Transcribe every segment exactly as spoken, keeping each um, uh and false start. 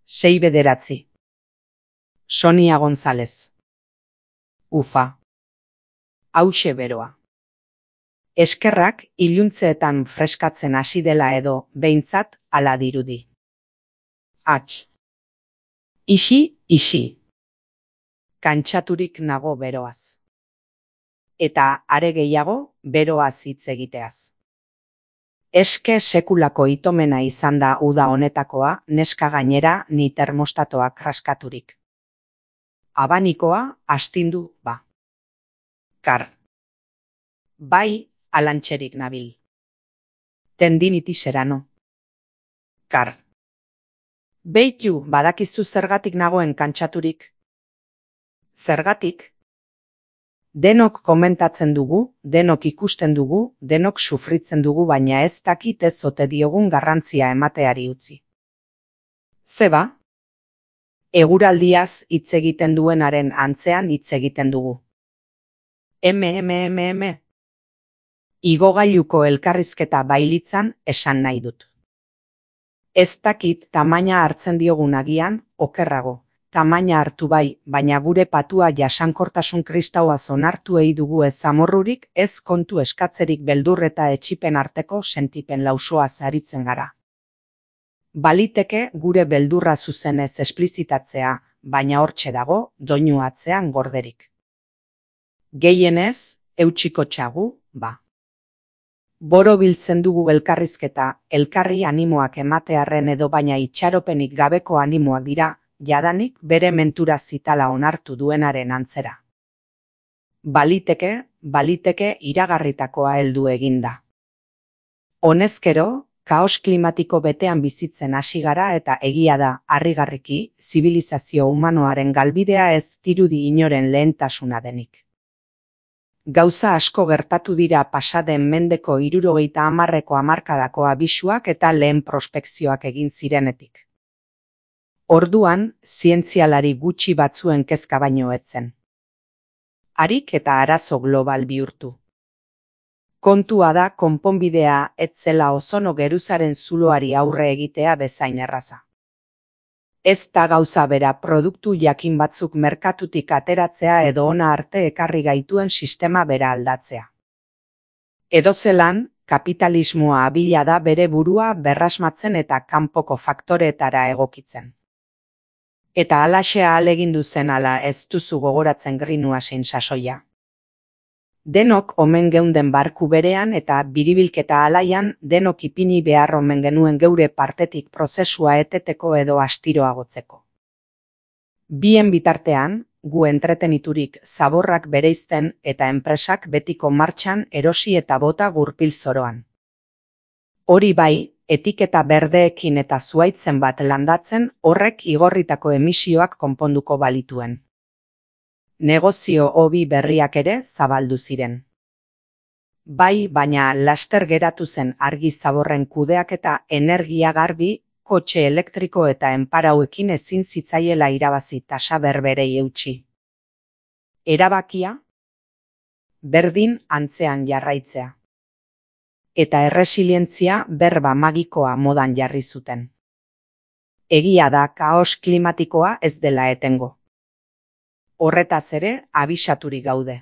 sei bederatzi. Sonia González. Ufa. Hauxe beroa. Eskerrak iluntzeetan freskatzen hasi dela edo, behintzat, hala dirudi. Hats. Ixi, ixi. Kantxaturik nago beroaz. Eta are gehiago, beroaz hitz egiteaz. Eske sekulako itomena izan da uda honetakoa, neska gainera ni termostatoa kraskaturik. Abanikoa astindu ba. Kar. Bai, alantxerik nabil. Tendinitisera no. Kar. Beitu, badakizu zergatik nagoen kantxaturik. Zergatik? Denok komentatzen dugu, denok ikusten dugu, denok sufritzen dugu, baina ez dakit ez ote diogun garrantzia emateari utzi. Zeba? Eguraldiaz hitz egiten duenaren antzean hitz egiten dugu. Eme, eme, eme, eme. Igogailuko elkarrizketa bailitzan esan nahi dut. Ez dakit tamaina hartzen diogun agian, okerrago. Tamaina hartu bai, baina gure patua jasankortasun kristauaz onartu ei dugu ez amorrurik, ez kontu eskatzerik beldur eta etxipen arteko sentipen lausoaz aritzen gara. Baliteke gure beldurra zuzenez esplizitatzea, baina hortxe dago, doinu atzean gorderik. Gehienez, eutsiko txagu, ba. Boro biltzen dugu elkarrizketa, elkarri animoak ematearren edo baina itxaropenik gabeko animoak dira, jadanik bere mentura zitala onartu duenaren antzera. Baliteke, baliteke iragarritakoa heldu eginda. Honezkero, kaos klimatiko betean bizitzen hasi gara eta egia da, harrigarriki, zibilizazio humanoaren galbidea ez dirudi inoren lehentasuna denik. Gauza asko gertatu dira pasaden mendeko hirurogeita hamarreko hamarkadako abisuak eta lehen prospekzioak egin zirenetik. Orduan, zientzialari gutxi batzuen kezka baino etzen. Harik eta arazo global bihurtu. Kontua da konponbidea etzela ozono geruzaren zuloari aurre egitea bezain erraza. Ez da gauza bera produktu jakin batzuk merkatutik ateratzea edo ona arte ekarri gaituen sistema bera aldatzea. Edozelan, kapitalismoa abila da bere burua berrasmatzen eta kanpoko faktoreetara egokitzen. Eta halaxe ahalegindu zen ala ez duzu gogoratzen Greenwashin sasoia. Denok omen geunden barku berean eta biribilketa alaian denok ipini behar omen genuen geure partetik prozesua eteteko edo astiroagotzeko. Bien bitartean, gu entreteniturik zaborrak bereizten eta enpresak betiko martxan erosi eta bota gurpil zoroan. Hori bai, etiketa berdeekin eta zuaitzen bat landatzen horrek igorritako emisioak konponduko balituen. Negozio hobi berriak ere zabaldu ziren. Bai, baina laster geratu zen argi zaborren kudeaketa energia garbi, kotxe elektriko eta enparauekin ezin zitzaiela irabazi tasa berberei eutsi. Erabakia? Berdin antzean jarraitzea. Eta erresilientzia berba magikoa modan jarri zuten. Egia da kaos klimatikoa ez dela etengo. Horretaz ere abisaturik gaude.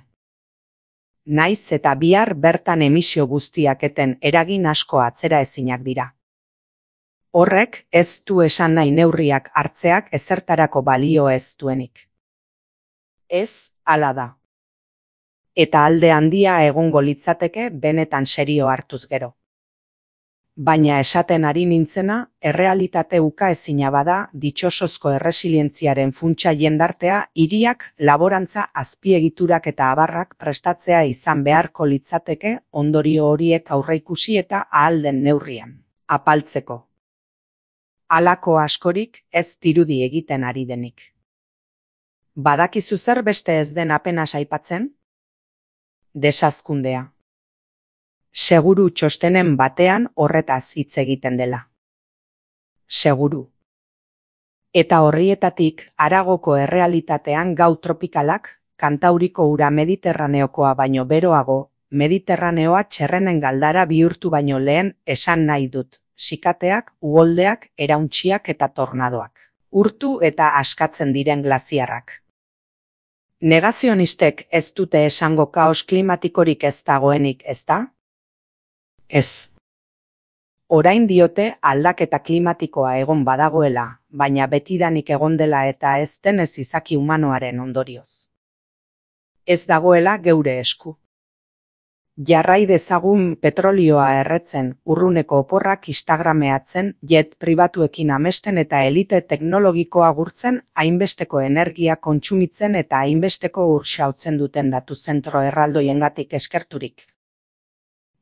Naiz eta bihar bertan emisio guztiak eten eragin asko atzera ezinak dira. Horrek ez du esan nahi neurriak hartzeak ezertarako balio ez duenik. Ez, hala da. Eta alde handia egongo litzateke benetan serio hartuz gero. Baina esaten ari nintzena, errealitate uka ezina bada ditxosozko erresilientziaren funtsa jendartea hiriak, laborantza, azpiegiturak eta abarrak prestatzea izan beharko litzateke ondorio horiek aurreikusi eta ahal den neurrian. Apaltzeko. Halako askorik ez dirudi egiten ari denik. Badakizu zer beste ez den apenas aipatzen? Desazkundea. Seguru txostenen batean horretaz hitz egiten dela. Seguru. Eta horrietatik haragoko errealitatean gau tropikalak, kantauriko ura mediterraneokoa baino beroago, mediterraneoa txerrenen galdara bihurtu baino lehen esan nahi dut, sikateak, uholdeak, erauntxiak eta tornadoak. urtu eta askatzen diren glaziarrak. Negazionistek ez dute esango kaos klimatikorik ez dagoenik, ezta? Ez. Orain diote aldaketa klimatikoa egon badagoela, baina betidanik egon dela eta ez denez izaki humanoaren ondorioz. Ez dagoela geure esku. Jarrai dezagun petrolioa erretzen, urruneko oporrak instagrameatzen, jet pribatuekin amesten eta elite teknologikoa gurtzen, hainbesteko energia kontsumitzen eta hainbesteko ur xautzen duten datu zentro erraldoiengatik eskerturik.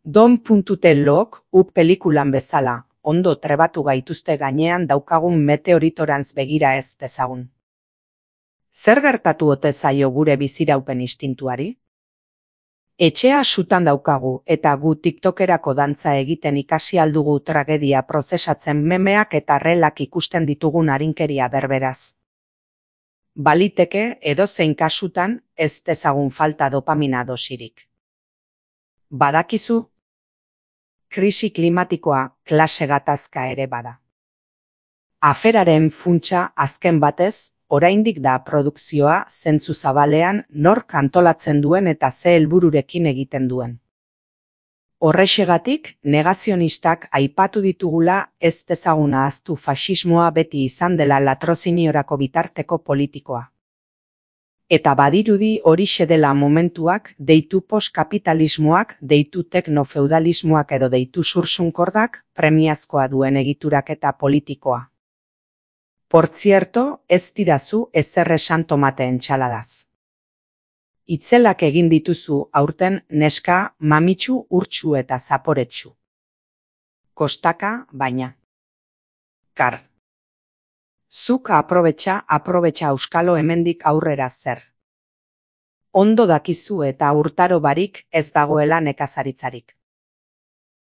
Don.telok, up pelikulan bezala, ondo trebatu gaituzte gainean daukagun meteoritorantz begira ez dezagun. Zer gertatu ote zaio gure biziraupen instintuari? Etxea sutan daukagu eta gu tiktokerako dantza egiten ikasi aldugu tragedia prozesatzen memeak eta relak ikusten ditugun arinkeria berberaz. Baliteke edozein kasutan ez dezagun falta dopamina dosirik. Badakizu? Krisi klimatikoa klase gatazka ere bada. Aferaren funtsa azken batez, oraindik da produkzioa zentzu zabalean nork antolatzen duen eta ze helbururekin egiten duen. Horrexegatik, negazionistak aipatu ditugula ez dezagun ahaztu faxismoa beti izan dela latroziniorako bitarteko politikoa. Eta badirudi horixe dela momentuak, deitu postkapitalismoak, deitu teknofeudalismoak edo deitu sursunkordak, premiazkoa duen egituraketa politikoa. Por cierto, ez didazu ezer esan tomate entxaladaz. Itzelak egin dituzu aurten neska, mamitsu, urtsu eta zaporetsu. Kostaka, baina. Kar. Zuk aprobetxa, aprobetxa auskalo hemendik aurrera zer. Ondo dakizu eta urtaro barik ez dagoela nekazaritzarik.